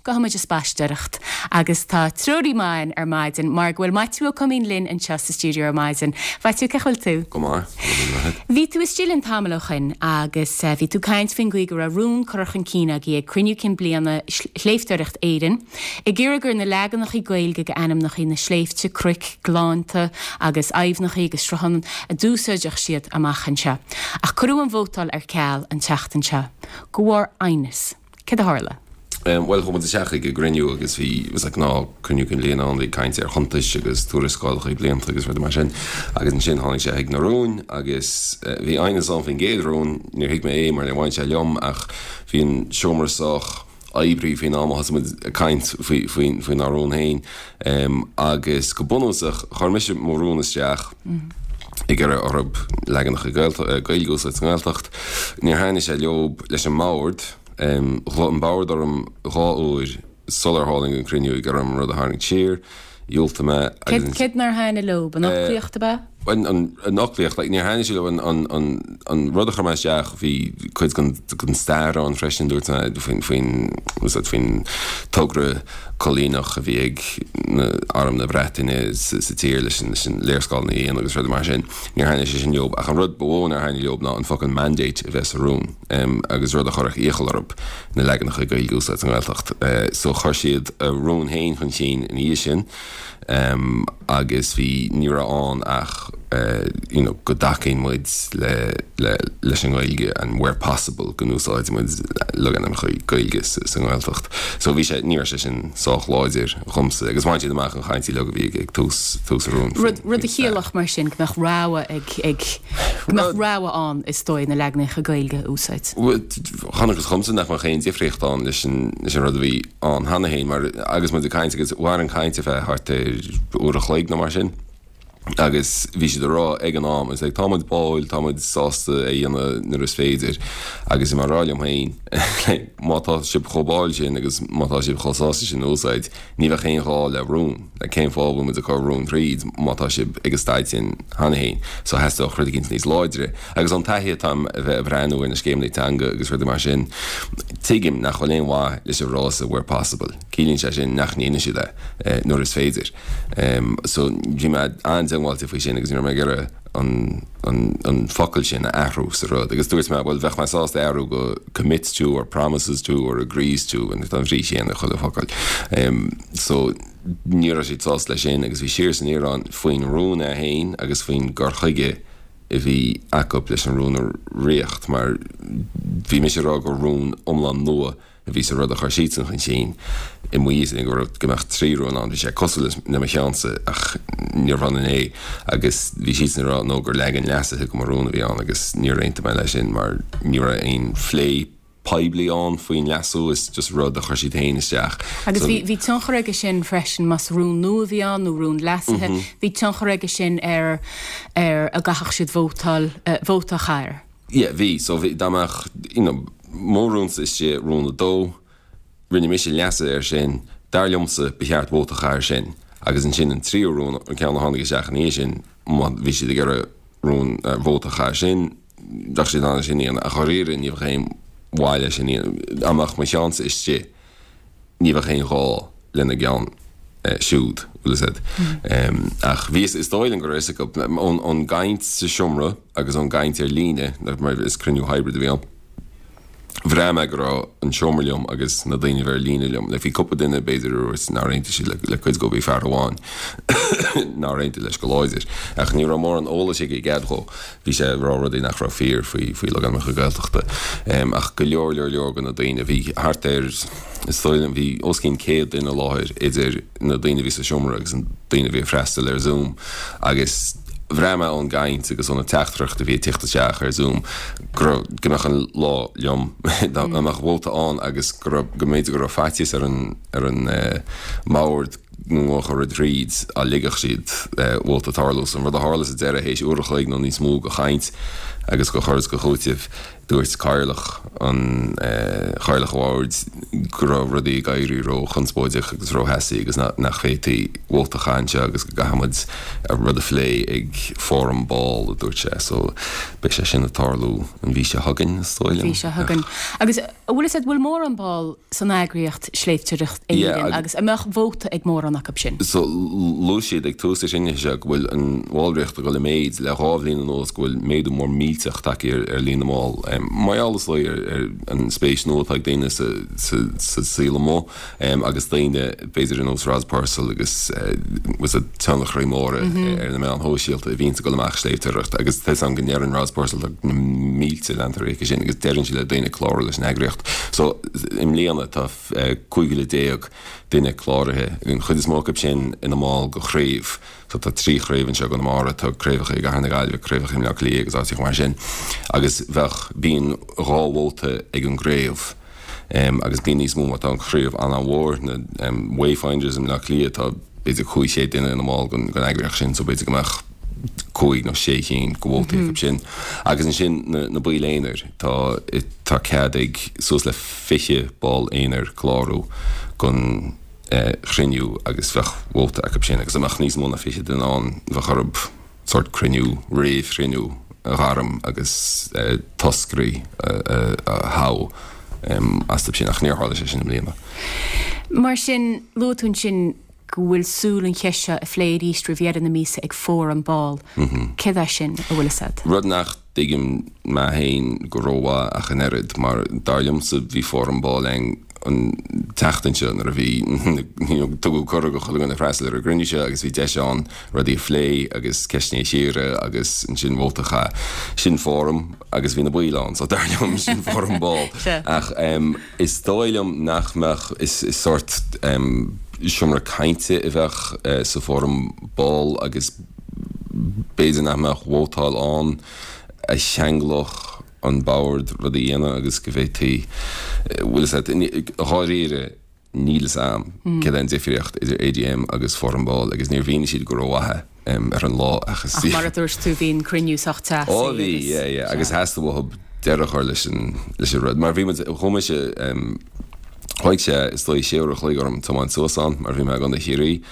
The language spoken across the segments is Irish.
Gabhfaidh muid ag spaisteoireacht agus tá treoraí maith againn ar maidin mar go bhfuil Maitiú Ó Coimín linn anseo sa stiúideo ar maidin. Mhaitiú, cén chaoi a bhfuil tú? Go maith, go raibh míle maith agat. Bhí tú istigh linn tamall ó shoin agus bhí tú ag caint faoin gcaoi go raibh rún curtha chun cinn agaibh ag Cruinniú Cinn Bliana Shléibhteoireacht Éireann ag iarraidh gur na leaganachaí Gaeilge d'ainmneachaí na sléibhte, cnoic, gleannta agus aibhneachaí agus srutháin a d'úsáidfeadh siad amach anseo. Ach cuireadh an vótáil ar ceal an tseachtain seo. De bharr aighneas. Céard a tharla? Bhuel, chuaigh muid isteach ag an gcruinniú agus bhí, it was like gnáth cruinniú cinn bliana ann, bhí caint ar chuntais agus tuarascálacha blianta agus rudaí mar sin. Agus ansin tháinig sé chuig na rúin agus bhí aighneas ann faoin gcéad rún, níor thuig mé é mar níor bhain sé liom ach bhí an seomra sách oibrithe faoin am a thosaigh muid ag caint faoi, faoi, faoinár rún féin. Agus go bunúsach, chuir mise mo rún isteach ag iarraidh orthu leaganacha Gaeilge a úsáid sa nGaeltacht. Níor thaitnigh sé leob, leis an mbord. Ghlaoigh an bord orm dhá uair sular tháinig an cruinniú ag iarraidh orm an rud a tharraingt siar. Dhiúltaigh mé agus. Céard nár thaitnigh leob? An fhoclaíocht ab ea? An fhoclaíocht. Like, níor thaitnigh sé leo an rud a chuir mé isteach, bhí cuid den stair ann freisin, dúirt mé, faoin, faoin, faoin togra coilíneach a bhí ag Arm na Breataine sa tír leis an léarscáileanna a dhéanamh agus rudaí mar sin. Níor thaitnigh sé sin leob. Ach an rud ba mhó nár thaitnigh leob ná an focal mandate a bheith sa rún. agus rud a chuirfeadh iachall orthu na leaganacha Gaeilge a úsáid sa nGaeltacht. So chuir siad a rún féin chun cinn ina dhiaidh sin agus bhí, ní raibh ann ach you know go dtacaíonn muid le, le, leis an nGaeilge and where possible go n-úsáideann muid logainmneacha Gaeilge sa, sa nGaeltacht. So bhí sé, ní raibh sé sin sách láidir dhomsa agus bhain siad amach an chaint uilig a bhí ag tús, tús an rúin. Rud, rud a chiallódh mar sin go mbeadh rogha ag, ag, go mbeadh rogha ann is dóigh na leaganacha Gaeilge a úsáid. Chonacthas dhomsa nach mbeadh aon difríocht ann leis an leis an rud a bhí ann cheana féin mar agus muid ag caint agus mhair an chaint ar feadh thart ar uair a chloig nó mar sin agus bhí siad ag rá ag an am is like tá muid báúil, tá muid sásta é a dhéanamh nuair is féidir agus bhí mé ag rá liom féin like má tá sibh chomh báúil sin agus má tá sibh chomh sásta sin a úsáid ní bheadh aon ghá le rún. Like cén fáth a bhfuil muid ag cur rún tríd má tá sibh ag an staid sin cheana féin? So theastódh rud eicínt níos láidre. Agus ón taithí atá a'm a bheith ag breathnú ar na scéimeanna teanga agus rudaí mar sin, tuigim nach bhfuil aon mhaith leis an bhfrása where possible. Ciallaíonn sé sin nach ndéanann siad é nuair is féidir. So bhí mé an-diongbháilte faoi sin agus ní raibh mé ag iarraidh an an an focal sin a athrú sa rud. Agus dúirt mé, bhuel, bheadh mé sásta é athrú go commits to or promises to or agrees to, and tá an bhrí chéanna ag chuile focal. So ní raibh siad sásta leis sin agus bhí siar is aniar ann faoin rún é féin agus faoin gcur chuige a bhí acu leis an rún a dhréacht mar bhí mise ag rá gur rún iomlán nua a bhí sa rud a chuir siadsan chun cinn i m'fhios go raibh go mbeadh trí rún ann. Bhí sé cosúil le mo cheannsa ach níorbh ionann é agus bhí siadsan ag rá nó gur leagan leasaithe de mo rún a bhí ann agus níor aontaigh mé leis sin mar ní raibh aon phlé poiblí ann faoin leasú, is just rud a chuir siad féin isteach. Agus bhí bhí tionchar aige sin freisin más rún nua a bhí ann nó rún leasaithe, bhí tionchar aige sin ar ar a gcaithfeadh siad vótáil vóta a chaitheamh air. Yeah, bhí. So bhí, dá mbeadh, you know, mo rúnsa istigh, rún a dó, rinne mise leasuithe air sin, dar liomsa, ba cheart vóta a chaitheamh air sin. Agus ansin an tríú rún, an ceann a tháinig isteach ina dhiaidh sin, má bhí siad ag iarraidh rún, vóta a chaitheamh air sin, bheadh siad in ann é sin a dhéanamh. Ach dháiríre, ní bheadh aon mhaith leis sin a dhéanamh. Dá mbeadh mo cheannsa istigh, ní bheadh aon ghá lena gceann siúd, bhfuil fhios a'd. Ach bhí, is dóigh liom go raibh fhios acu, ón gcaint sa seomra agus ón gcaint ar líne, mar is cruinniú hybrid a bhí ann, bhraith mé go raibh an seomra liom agus na daoine a bhí ar líne liom. Like bhí cúpla duine b'fhéidir a dúirt nár aontaigh siad le cuid dhó, bhí fear amháin nár aontaigh leis go láidir. Ach ní raibh mórán eolais aige i gcead dhó. Bhí sé ag rá rudaí nach raibh fíor faoi faoi logainmneacha Gaeltachta. Ach go leor leor leor de na daoine, bhí thart ar, is dóigh liom, bhí os cionn 100 duine i láthair idir na daoine a bhí sa seomra agus na daoine a bhí ag freastal ar Zoom agus bhraith mé ón gcaint agus ó na teachtaireachtaí a bhí ag tíocht isteach ar Zoom go raibh, go mbeadh an lá liom, dá mbeadh vóta ann agus go raibh, go mb'fhéidir go raibh faitíos ar an, ar an mbord go ngabhfadh an rud thríd dá ligfeadh siad vóta tarlú. So an rud a tharla sa deireadh, théis uair a chloig nó níos mó de chaint agus de chur is de chúiteamh. Dúirt Cathaoirleach an Chathaoirleach an Bhoird go raibh rudaí ag éirí ró-chonspóideach agus ró-theasaí agus nach bhféadfaí vóta a chaitheamh anseo agus go gcaithfidh muid an rud a phlé ag fóram ball, a dúirt sé. So beidh sé sin ag tarlú an mhí seo chugainn, is dóigh liom. Mhí seo chugainn. Agus an bhfuil fhios agat, bhfuil mórán ball san eagraíocht Sléibhteoireacht Éireann agus an mbeadh vóta ag mórán acu sin? So luaigh siad ag tús an chruinnithe seo go bhfuil an bhallraíocht ag dul i méid le 2 bhliain anuas, go bhfuil méadú mór millteach tagtha ar líon na mball. Mar gheall is dóigh ar an spéis nua atá ag daoine sa saol amuigh agus daoine b'fhéidir ar nós Roz Purcell agus tionchairí móra ar na meáin shóisialta a bhíonns ag dul amach sléibhteoireacht agus tá 'fhios a'm go ndeireann Roz Purcell tá na mílte leantóirí aici sin agus deireann sí le daoine clárú leis an eagraíocht. So i mbliana tá 15,000 duine cláraithe, an chuid is mó acu sin ina mball de chraobh. So tá trí chraobh anseo i gConamara, tá craobhacha i gCathair na Gaillimhe, craobhacha i mBleá Cliath agus áiteacha mar sin. Agus bheadh, bíonn dhá vóta ag an gcraobh agus bíonn níos mó má tá an chraobh an-mhór, na Wayfinders i mBleá Cliath, tá b'fhéidir 500 duine ina mball den eagraíocht sin so b'fhéidir go mbeadh cúig nó sé chinn de vótaí acu sin. Agus ansin na baill aonair, tá, tá cead ag suas le 20 ball aonair clárú don chruinniú agus bheadh vóta acu sin agus dá mbeadh níos mó ná 20 duine ann bheadh orthu sórt cruinniú, réamhchruinniú a ghairm agus toscairí a thoghadh astu sin ach níor tharla sé sin i mbliana. Mar sin, luaigh tú ansin go bhfuil súil an cheist seo a phlé arís roimh dheireadh na míosa ag fóram ball. Céard é sin, a bhfuil fhios agat? Rud nach dtuigim mé féin go rómhaith ach an oiread, mar dar liomsa bhí fóram ball againn an tseachtain seo nuair a bhí, you know, tugadh cuireadh do chuile dhuine freastal ar an gcruinniú seo agus bhí deis ann rudaí a phlé agus ceisteanna a chíoradh agus ansin vóta a chaitheamh. Sin fóram agus bhí na baill ann, so dar liom sin fóram ball. Ach is dóigh liom nach mbeadh, is sórt seomra cainte a bheadh sa bhfóram ball agus b'fhéidir nach mbeadh vótáil ann a cheanglódh an bord rud a dhéanamh agus go bhféadfaí, bhfuil fhios agat, dháiríre níl fhios a'm céard é an difríocht idir AGM agus Fóram Ball agus níor mhínigh siad go rómhaith é ar an lá ach is. Ach mar a dúirt tú bhí an cruinniú sách teasaí Ó bhí, yeah, yeah, agus theastaigh uathu deireadh a chur leis an, leis an rud mar bhí muid, chuaigh mise, thóg sé is dóigh sé uair a chloig orm tiomáint suas ann mar bhí mé i gContae Chiarraí.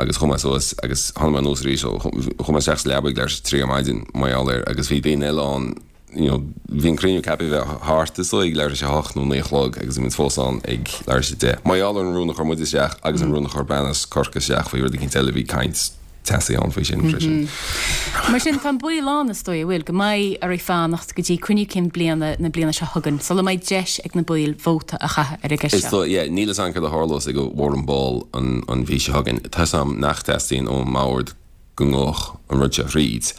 Agus chuaigh mé suas agus tháinig mé anuas arís ó chuaigh mé isteach sa leaba ag leathuair tar éis a trí ar maidin mar gheall air agus bhí daoine eile ann you know bhí an cruinniú ceaptha a bheith thart is dóigh ag leathuair tar éis a hocht nó naoi a chlog agus bhí muid fós ann ag leathuair tar éis a deich. Mar gheall ar an rún a chuir muid isteach agus an rún a chuir bean as Corcaigh isteach faoi rud eicínt eile bhí caint teasaí ann faoi sin freisin. Mar sin, tá an baol ann, is dóigh, an bhfuil, go mbeidh oraibh fanacht go dtí cruinniú cinn bliana na bliana seo chugainn sula mbeidh deis ag na baill vóta a chaitheamh ar an gceist seo. Is dóigh, yeah. Níl fhios a'm céard a tharlós ag an bhfóram ball an mhí seo chugainn. Tá fhios a'm nach dteastaíonn ón mbord go ngabhfadh an rud seo thríd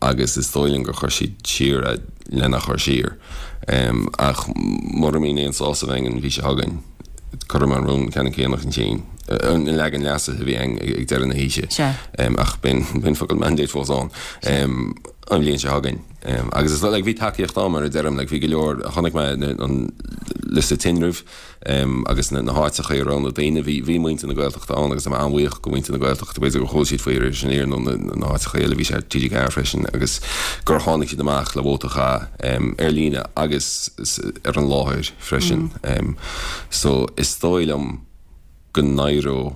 agus is dóigh liom gur chuir siad siar é lena chur siar. Ach mura mbíonn aon sásamh againn an mhí seo chugainn, cuirfidh mé an rún ceannann céanna chun cinn, an leagan leasaithe a bhí againn ag deireadh na hoíche. Ach beidh an focal mandate fós ann an bhliain seo chugainn. Agus is dóigh, like, bhí tacaíocht ann mar a deirim, like, bhí go leor, chonaic mé an liosta tinrimh, agus na háiteacha a raibh na daoine, bhí, bhí muintir na Gaeltachta ann agus tá mé an-bhuíoch go mhuintir na Gaeltachta, b'fhéidir gur chuala siad faoi ar Iris Aniar nó na háiteacha eile, bhí sé ar TG4 freisin agus gur tháinig siad amach le vóta a chaitheamh ar líne agus ar an láthair freisin. So is dóigh liom go n-éireoidh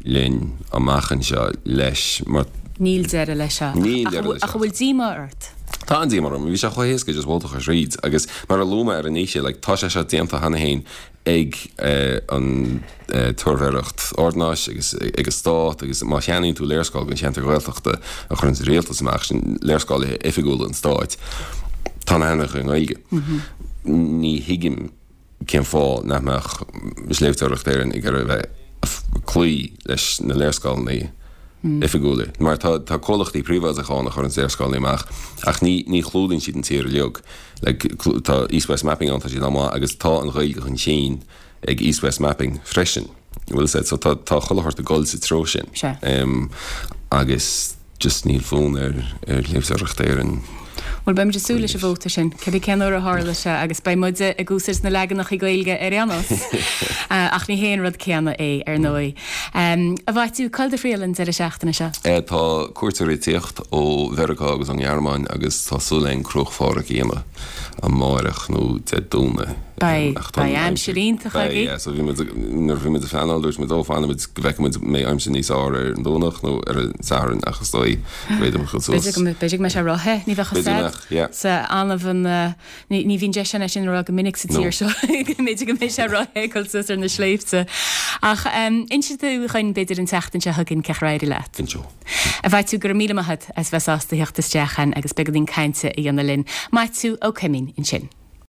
linn amach anseo leis mar. Níl deireadh leis seo. Níl deireadh leis seo. Ach an bhfuil díomá ort? Tá an-díomá orm. Bhí sé chomh héasca just vóta a chur thríd agus mar a luaigh mé ar an oíche, like, tá sé seo déanta cheana féin ag an tSuirbhéireacht Ordanáis agus ag an Stát agus má cheannaíonn tú léarscáil den cheantar Ghaeltachta a chuireann an rialtas amach, sin léarscáil oifigiúla an Stáit, tá na hainmneacha i nGaeilge. Ní thuigim. cén fáth nach mbeadh Sléibhteoireacht Éireann ag iarraidh a bheith ag cloí leis na léarscáileanna oifigiúla? Mar tá tá comhlachtaí príobháideacha ann a chuireann léarscáileanna amach ach ní ní chlúdaíonn siad an tír uilig. Like, tá East West Mapping ann, tá siad an-mhaith agus tá an Ghaeilge chun cinn ag East West Mapping freisin. Bhfuil fhios a'd, so tá tá chuile shórt ag dul sa treo sin. Sea. Agus. Just níl fonn ar ar Shléibhteoireacht Éireann. Bhuel, beidh muid ag súil leis an vóta sin, cibé cén uair a tharla sé, agus beidh muide ag úsáid na leaganacha Gaeilge ar aon nós. Ach ní hé an rud céanna é, ar ndóigh. A Mhaitiú, cá bhfuil do thriall an deireadh seachtaine seo? Tá cuairteoirí ag tíocht ó Mheiriceá agus ón nGearmáin agus tá súil againn Cruach Phádraig a dhéanamh amáireach nó Dé Domhnaigh. Beidh, beidh aimsir iontach Beidh, agaibh. yeah, so bhí muid, nuair a bhí muid ag pleanáil dúirt muid, ó fanfaidh muid go bhfeicfidh muid an mbeidh aimsir níos fearr ar an Domhnach nó ar an Satharn ach is dóigh go bhféadfaidh muid dul suas. B'fhéidir go mbeidh, b'fhéidir go mbeidh sé rotha, ní bheadh a B'fhéidir go mbeadh, yeah. Sa annamh an, ní, ní bhíonn deis ann é sin a rá go minic sa No. tír seo, go mb'fhéidir go mbeidh sé rotha ag dul suas ar na sléibhte. Ach inseoidh tú dhuinn b'fhéidir an tseachtain seo chugainn cén chaoi ar éirigh leat. Inseoidh. A Mhaitiú, go raibh míle maith agat as bheith sásta theacht isteach chugainn agus beagáinín cainte a dhéanamh linn. Maitiú Ó Coimín ansin.